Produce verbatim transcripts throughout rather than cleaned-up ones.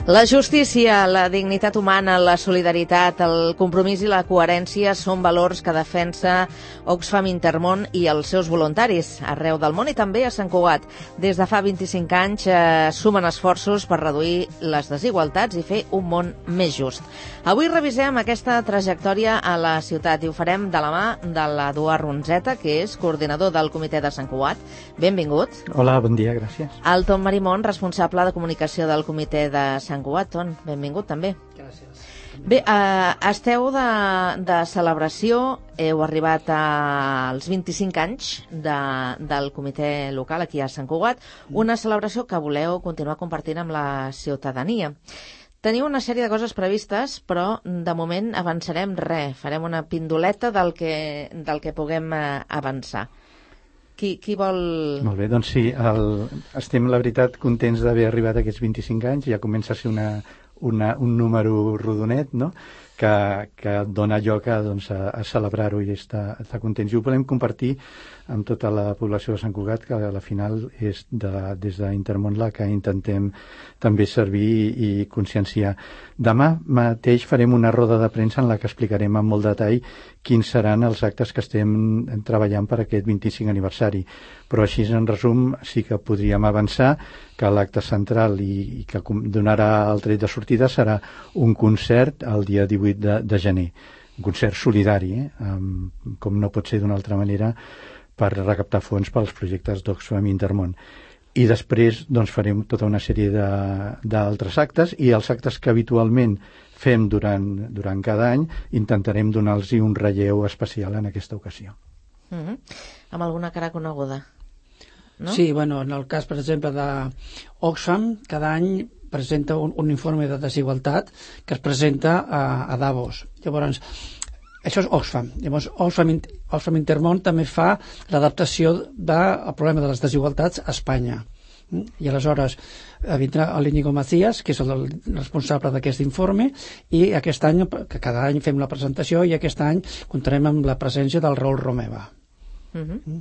La justícia, la dignitat humana, la solidaritat, el compromís i la coherència són valors que defensa Oxfam Intermón i els seus voluntaris arreu del món i també a Sant Cugat. Des de fa vint-i-cinc anys eh, sumen esforços per reduir les desigualtats i fer un món més just. Avui revisem aquesta trajectòria a la ciutat i ho farem de la mà de l'Eduard Ronzeta, que és coordinador del Comitè de Sant Cugat. Benvingut. Hola, bon dia, gràcies. El Tom Marimón, responsable de comunicació del Comitè de Sant Cugat. Ton, benvingut també. Gràcies. Bé, eh, esteu de, de celebració, heu arribat als vint-i-cinc anys de, del comitè local aquí a Sant Cugat, una celebració que voleu continuar compartint amb la ciutadania. Teniu una sèrie de coses previstes, però de moment avançarem res, farem una pindoleta del que, del que puguem eh, avançar. Qui, qui vol... Molt bé, doncs sí, el, estem, la veritat, contents d'haver arribat a aquests vint-i-cinc anys, ja comença a ser una, una, un número rodonet, no?, que, que dona lloc a, doncs, a, a celebrar-ho i estar, estar contents. I ho volem compartir amb tota la població de Sant Cugat, que a la final és de, des d'Intermón la que intentem també servir i, i conscienciar. Demà mateix farem una roda de premsa en la que explicarem amb molt detall quins seran els actes que estem treballant per aquest vint-i-cinc aniversari. Però així, en resum, sí que podríem avançar que l'acte central i, i que donarà el tret de sortida serà un concert el dia divuit de, de gener. Un concert solidari, eh? um, com no pot ser d'una altra manera, per recaptar fons pels projectes d'Oxfam Intermón. I després doncs, farem tota una sèrie d'altres actes i els actes que habitualment fem durant, durant cada any intentarem donar-los un relleu especial en aquesta ocasió. Mm-hmm. Amb alguna cara coneguda, no? Sí, bueno, en el cas, per exemple, d'Oxfam, cada any presenta un, un informe de desigualtat que es presenta a, a Davos. Llavors, això és Oxfam. Llavors, Oxfam, Oxfam Intermón també fa l'adaptació del problema de les desigualtats a Espanya. I aleshores vindrà l'Íñigo Macías, que és el responsable d'aquest informe, i aquest any, que cada any fem la presentació, i aquest any comptarem amb la presència del Raül Romeva. Mm-hmm.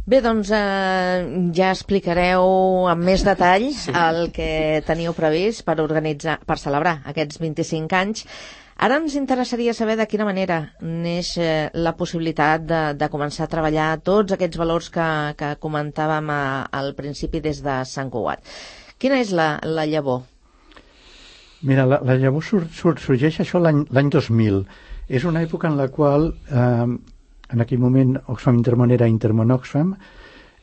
Bé, doncs eh, ja explicareu amb més detall sí. el que teniu previst per organitzar, per celebrar aquests vint-i-cinc anys. Ara ens interessaria saber de quina manera neix eh, la possibilitat de, de començar a treballar tots aquests valors que, que comentàvem a, al principi des de Sant Cugat. Quina és la, la llavor? Mira, la, la llavor sur, sur, sorgeix això l'any dos mil. És una època en la qual, eh, en aquell moment, Oxfam Intermón era Intermón Oxfam,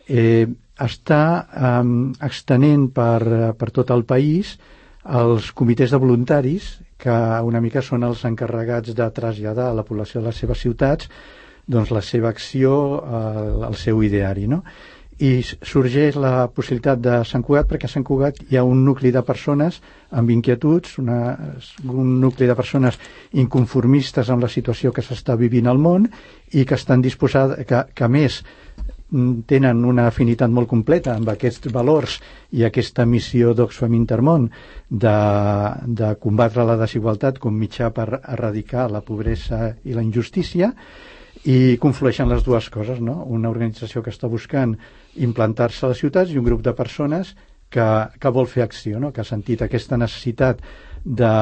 eh, està eh, extenent per, per tot el país els comitès de voluntaris, que una mica són els encarregats de traslladar a la població de les seves ciutats doncs, la seva acció, el, el seu ideari, no? I sorgeix la possibilitat de Sant Cugat, perquè a Sant Cugat hi ha un nucli de persones amb inquietuds, una, un nucli de persones inconformistes amb la situació que s'està vivint al món i que estan disposades, que, que a més tenen una afinitat molt completa amb aquests valors i aquesta missió d'Oxfam Intermón de, de combatre la desigualtat com mitjà per erradicar la pobresa i la injustícia, i conflueixen les dues coses, no? Una organització que està buscant implantar-se a les ciutats i un grup de persones que, que vol fer acció, no? Que ha sentit aquesta necessitat de,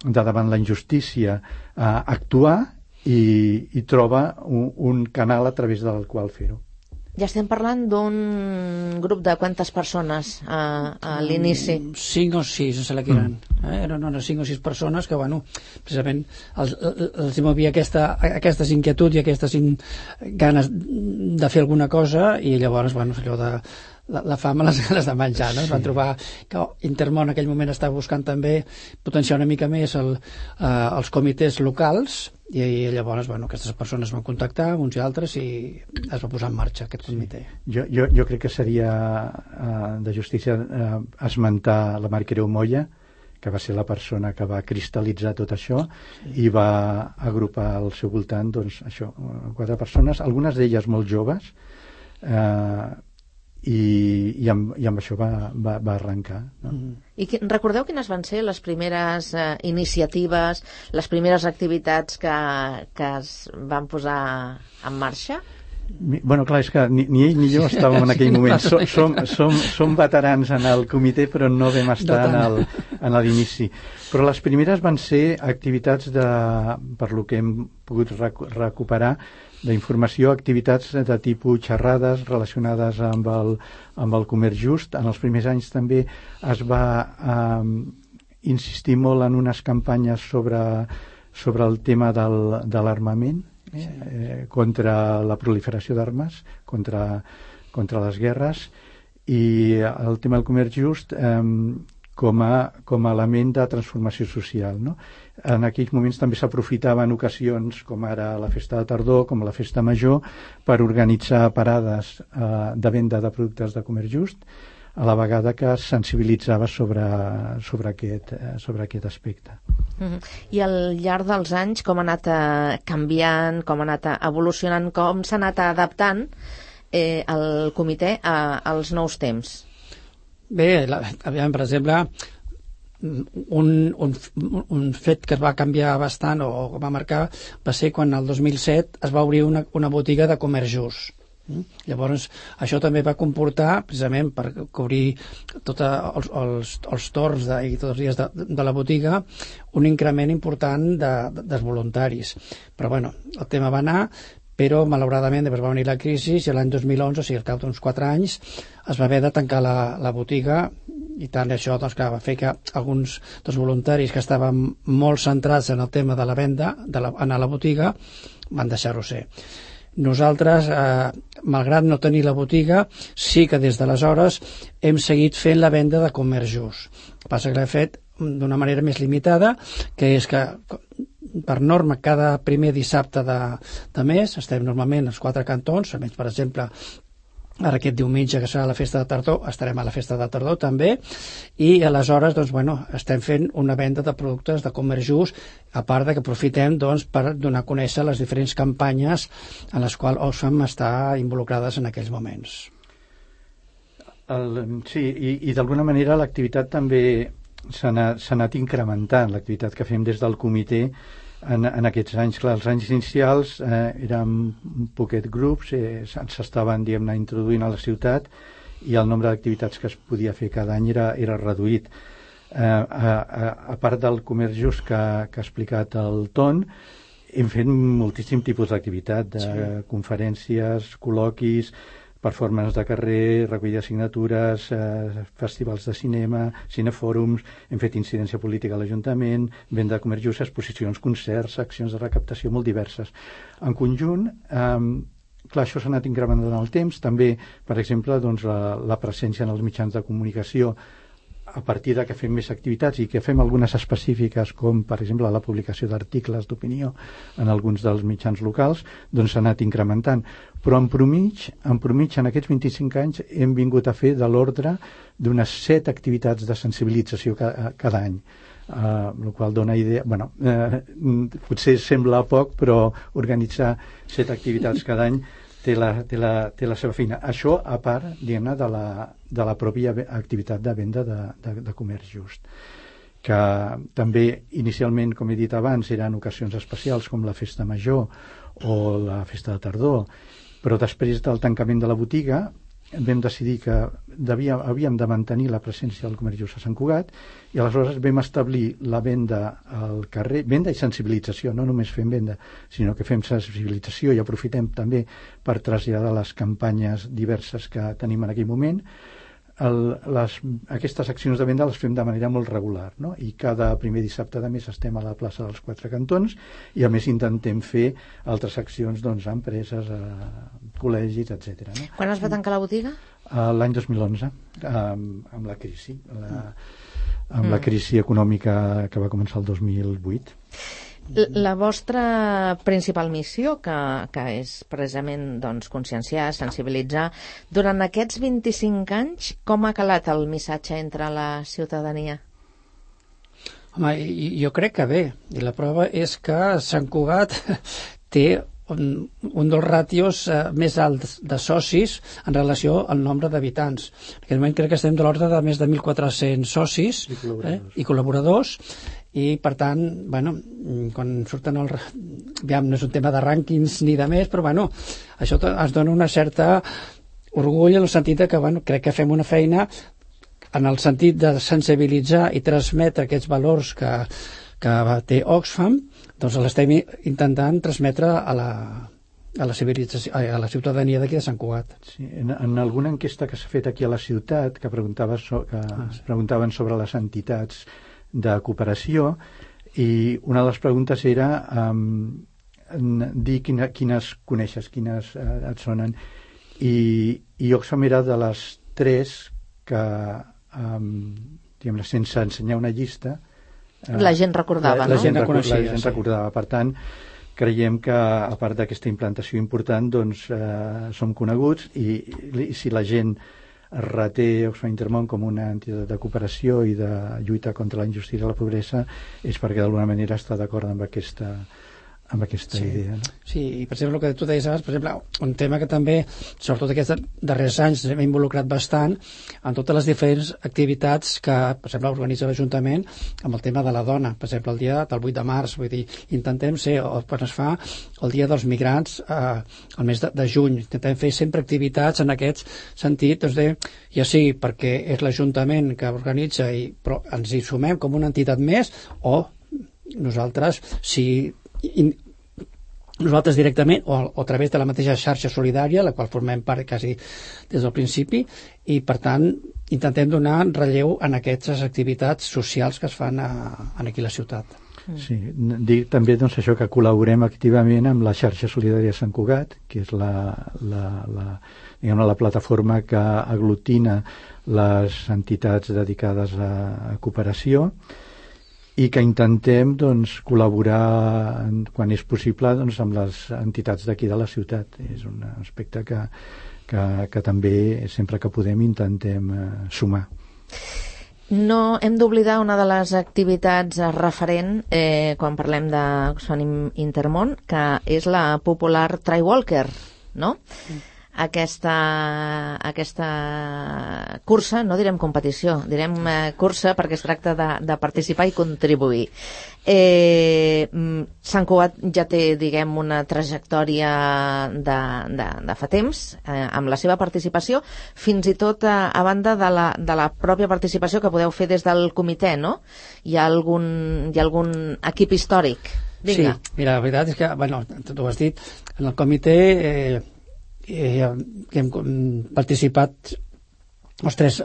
de davant la injustícia eh, actuar i, i troba un, un canal a través del qual fer-ho. Ja estem parlant d'un grup de quantes persones a, a l'inici? Cinc o sis, em sembla que eren. Eh? Eren unes cinc o sis persones que, bueno, precisament els, els movia aquesta, aquestes inquietuds i aquestes in, ganes de fer alguna cosa i llavors, bueno, allò de la, la fama les ganes de menjar, no? Es van trobar que Intermón en aquell moment estava buscant també potenciar una mica més el, eh, els comitès locals i, i llavors, bueno, aquestes persones van contactar uns i altres i es va posar en marxa aquest comitè. Sí. Jo, jo, jo crec que seria uh, de justícia uh, esmentar la Mar Creu Moya, que va ser la persona que va cristal·litzar tot això sí. i va agrupar al seu voltant doncs, això, quatre persones, algunes d'elles molt joves, eh, i, i, amb, i amb això va, va, va arrencar, no? Mm. I que, recordeu quines van ser les primeres eh, iniciatives, les primeres activitats que, que es van posar en marxa? Bueno, clar, és que ni, ni ell ni jo estàvem en aquell moment. Som, som, som, som veterans en el comitè, però no vam estar en el, en l'inici. Però les primeres van ser activitats de, per lo que hem pogut recu- recuperar, d'informació, activitats de tipus xerrades relacionades amb el, amb el comerç just. En els primers anys també es va eh, insistir molt en unes campanyes sobre, sobre el tema del, de l'armament, eh, eh, contra la proliferació d'armes, contra, contra les guerres, i el tema del comerç just eh, com a, com a element de transformació social, no? En aquells moments també s'aprofitava en ocasions, com ara la festa de tardor, com la festa major, per organitzar parades eh, de venda de productes de comerç just, a la vegada que es sensibilitzava sobre, sobre, aquest, eh, sobre aquest aspecte. Mm-hmm. I al llarg dels anys com ha anat eh, canviant, com ha anat evolucionant, com s'ha anat adaptant eh, el comitè a, als nous temps? Bé, la, aviam, per exemple, un, un, un fet que es va canviar bastant o, o va marcar va ser quan el dos mil set es va obrir una, una botiga de comerç just. Mm? Llavors, això també va comportar, precisament per cobrir tots els, els, els torns de, i tots els dies de, de la botiga, un increment important de, de, dels voluntaris. Però bueno, el tema va anar, però malauradament després va venir la crisi i l'any dos mil onze, o sigui, al cap d'uns quatre anys, es va haver de tancar la, la botiga, i tant això doncs, que va fer que alguns dels voluntaris que estaven molt centrats en el tema de la venda, de la, en la botiga, van deixar-ho ser. Nosaltres, eh, malgrat no tenir la botiga, sí que des d'aleshores hem seguit fent la venda de comerç just. El que passa que l'hem fet d'una manera més limitada, que és que per norma cada primer dissabte de, de mes estem normalment als quatre cantons, almenys per exemple ara aquest diumenge que serà la festa de tardor estarem a la festa de tardor també, i aleshores doncs, bueno, estem fent una venda de productes de comerç just, a part de que aprofitem doncs, per donar a conèixer les diferents campanyes en les quals Oxfam està involucrades en aquells moments. El, sí, i, i d'alguna manera l'activitat també s'ha anat, s'ha anat incrementant, l'activitat que fem des del comitè en, en aquests anys. Clar, els anys inicials eh, érem un poquet grups, eh, s'estaven diguem-ne introduint a la ciutat i el nombre d'activitats que es podia fer cada any era, era reduït. Eh, a, a, a part del comerç just que, que ha explicat el Ton, hem fet moltíssim tipus d'activitat, de sí. conferències, col·loquis, performances de carrer, recollida de signatures, eh, festivals de cinema, cinefòrums, hem fet incidència política a l'Ajuntament, venda de comerç just, exposicions, concerts, accions de recaptació molt diverses. En conjunt, eh, clar, això s'ha anat incrementant en el temps, també, per exemple, doncs, la, la presència en els mitjans de comunicació, a partir de que fem més activitats i que fem algunes específiques, com per exemple la publicació d'articles d'opinió en alguns dels mitjans locals, doncs s'ha anat incrementant. Però en promig, en promig, en aquests vint-i-cinc anys hem vingut a fer de l'ordre d'unes set activitats de sensibilització cada, cada any. Uh, el qual dona idea, bueno, uh, potser sembla poc, però organitzar set activitats cada any té la, té la, té la seva feina. Això a part, diguem-ne, de la, de la pròpia activitat de venda de, de, de comerç just, que també inicialment, com he dit abans, eren ocasions especials com la festa major o la festa de tardor, però després del tancament de la botiga vam decidir que devia, havíem de mantenir la presència del comerç just a Sant Cugat, i aleshores vam establir la venda al carrer, venda i sensibilització, no només fem venda, sinó que fem sensibilització i aprofitem també per traslladar les campanyes diverses que tenim en aquell moment. El, les, aquestes accions de venda les fem de manera molt regular, no? I cada primer dissabte de mes estem a la plaça dels Quatre Cantons i a més intentem fer altres accions, doncs, a empreses, a col·legis, etcètera. No? Quan es va tancar la botiga? Uh, l'any dos mil onze, amb, amb la crisi, la, amb mm. la crisi econòmica que va començar el dos mil vuit. La vostra principal missió, que, que és precisament doncs, conscienciar, sensibilitzar, durant aquests vint-i-cinc anys, com ha calat el missatge entre la ciutadania? Home, jo crec que bé, i la prova és que Sant Cugat té un, un dels ràtios eh, més alts de socis en relació al nombre d'habitants. En aquest moment crec que estem de l'ordre de més de mil quatre-cents socis i col·laboradors, eh, i col·laboradors, i per tant, bueno, quan surten el... Aviam, no és un tema de rànquings ni de més, però bueno, això ens dona una certa orgull en el sentit que, bueno, crec que fem una feina en el sentit de sensibilitzar i transmetre aquests valors que, que té Oxfam, doncs l'estem intentant transmetre a la, a la civilització, a la ciutadania d'aquí de Sant Cugat. Sí, en, en alguna enquesta que s'ha fet aquí a la ciutat, que, preguntava so, que ah, sí. preguntaven sobre les entitats de cooperació, i una de les preguntes era um, dir quina, quines coneixes, quines uh, et sonen, i, i Oxfam era de les tres que, um, diguem, sense ensenyar una llista, uh, la gent recordava, la, la no? gent, reconeixia, la gent sí. recordava. Per tant, creiem que, a part d'aquesta implantació important, doncs eh, som coneguts, i, i si la gent reté Oxfam Intermón com una entitat de cooperació i de lluita contra la injustícia i la pobresa, és perquè d'alguna manera està d'acord amb aquesta, amb aquesta sí. idea. No? Sí, i per exemple el que tu deies abans, per exemple, un tema que també, sobretot aquests darrers anys, hem involucrat bastant en totes les diferents activitats que, per exemple, organitza l'Ajuntament amb el tema de la dona, per exemple, el dia del vuit de març, vull dir, intentem ser, o quan es fa el dia dels migrants eh, el mes de, de juny, intentem fer sempre activitats en aquest sentit, doncs de, ja sigui perquè és l'Ajuntament que organitza, i, però ens hi sumem com una entitat més, o nosaltres, si I, nosaltres directament o, o a través de la mateixa xarxa solidària, la qual formem part quasi des del principi, i per tant intentem donar relleu en aquestes activitats socials que es fan a, a aquí a la ciutat. Sí, dir també doncs, això, que col·laborem activament amb la xarxa solidària de Sant Cugat, que és la, la, la, diguem, la plataforma que aglutina les entitats dedicades a, a cooperació, i que intentem doncs, col·laborar quan és possible doncs, amb les entitats d'aquí de la ciutat. És un aspecte que, que, que també sempre que podem intentem eh, sumar. No hem d'oblidar una de les activitats referent eh, quan parlem d'Oxfam Intermón, que és la popular Trailwalker, no? Mm. Aquesta, aquesta cursa, no direm competició, direm eh, cursa perquè es tracta de, de participar i contribuir. Eh, Sant Cugat ja té, diguem, una trajectòria de, de, de fa temps eh, amb la seva participació, fins i tot a, a banda de la, de la pròpia participació que podeu fer des del comitè, no? Hi ha algun, hi ha algun equip històric? Vinga. Sí, mira, la veritat és que, bueno, tu ho has dit, en el comitè eh, eh, que hem participat els tres,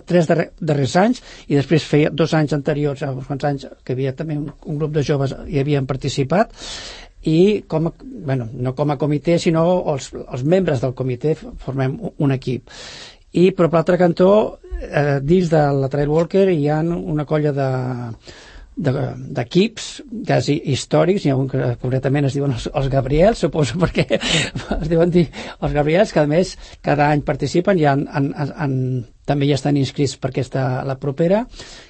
tres darrers anys, i després feia dos anys anteriors, uns quants anys, que havia també un, un grup de joves hi havien participat, i com a, bueno, no com a comitè, sinó els, els membres del comitè formem un equip. I per l'altre cantó, eh, dins de la Trailwalker hi ha una colla de d'equips quasi històrics. Hi ha un que concretament es diuen els, els Gabriels, suposo perquè es diuen dir els Gabriels, que a més cada any participen, i han, han, han, també ja estan inscrits per aquesta, la propera,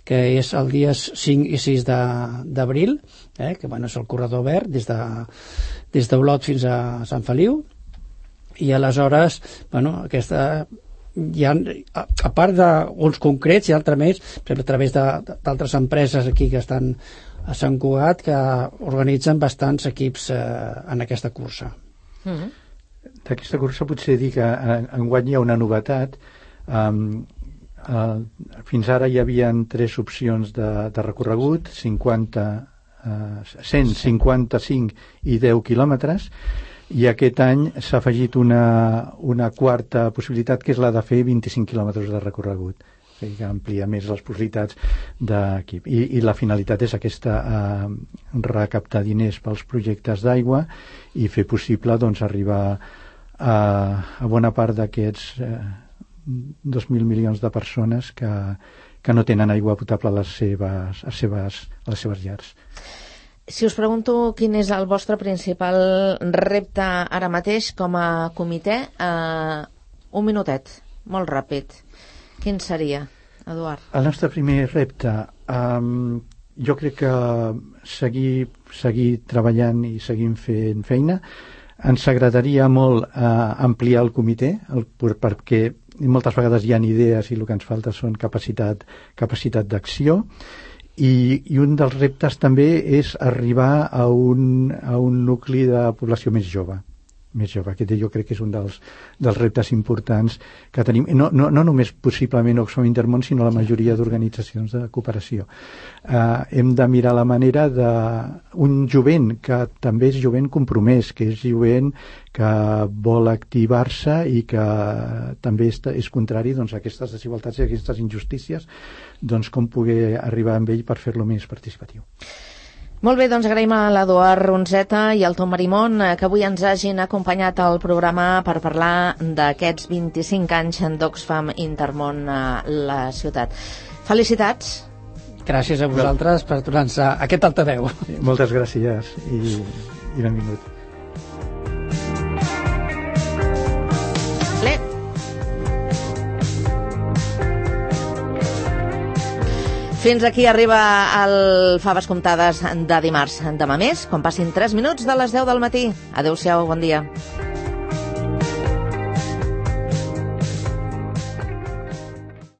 que és el dies cinc i sis d'abril, eh, que bueno, és el corredor verd des de, des d'Olot fins a Sant Feliu, i aleshores bueno, aquesta hi ha, a, a part d'uns concrets, hi ha altres més, per exemple, a través d'altres empreses aquí que estan a Sant Cugat, que organitzen bastants equips eh, en aquesta cursa. Mm-hmm. D'aquesta cursa potser dir que enguany hi ha una novetat. Um, uh, fins ara hi havia tres opcions de, de recorregut, cinquanta, uh, cent cinquanta-cinc i deu quilòmetres, i aquest any s'ha afegit una, una quarta possibilitat, que és la de fer vint-i-cinc quilòmetres de recorregut, que amplia més les possibilitats d'equip. I, i la finalitat és aquesta, eh, recaptar diners pels projectes d'aigua i fer possible doncs, arribar a, a bona part d'aquests eh, dos mil milions de persones que, que no tenen aigua potable a les seves, a seves, a les seves llars. Si us pregunto quin és el vostre principal repte ara mateix com a comitè, eh, un minutet, molt ràpid. Quin seria, Eduard? El nostre primer repte, um, jo crec que seguir, seguir treballant i seguir fent feina. Ens agradaria molt uh, ampliar el comitè, el, perquè moltes vegades hi ha idees i el que ens falta són capacitat, capacitat d'acció. i, i un dels reptes també és arribar a un, a un nucli de població més jove. més jove. Aquest jo crec que és un dels, dels reptes importants que tenim, no, no, no només possiblement Oxfam Intermón, sinó la majoria d'organitzacions de cooperació. Uh, hem de mirar la manera d'un jovent que també és jovent compromès, que és jovent que vol activar-se i que també és, és contrari doncs, a aquestes desigualtats i a aquestes injustícies, doncs com poder arribar amb ell per fer-lo més participatiu. Molt bé, doncs agraïm a l'Eduard Ronzeta i al Tom Marimón que avui ens hagin acompanyat al programa per parlar d'aquests vint-i-cinc anys d'Oxfam Intermón a la ciutat. Felicitats! Gràcies a vosaltres per donar-nos aquest altaveu. Moltes gràcies i, i benvingut. Fins aquí arriba el Faves Comptades de dimarts. Demà més, quan passin tres minuts de les deu del matí. Adéu-siau, bon dia.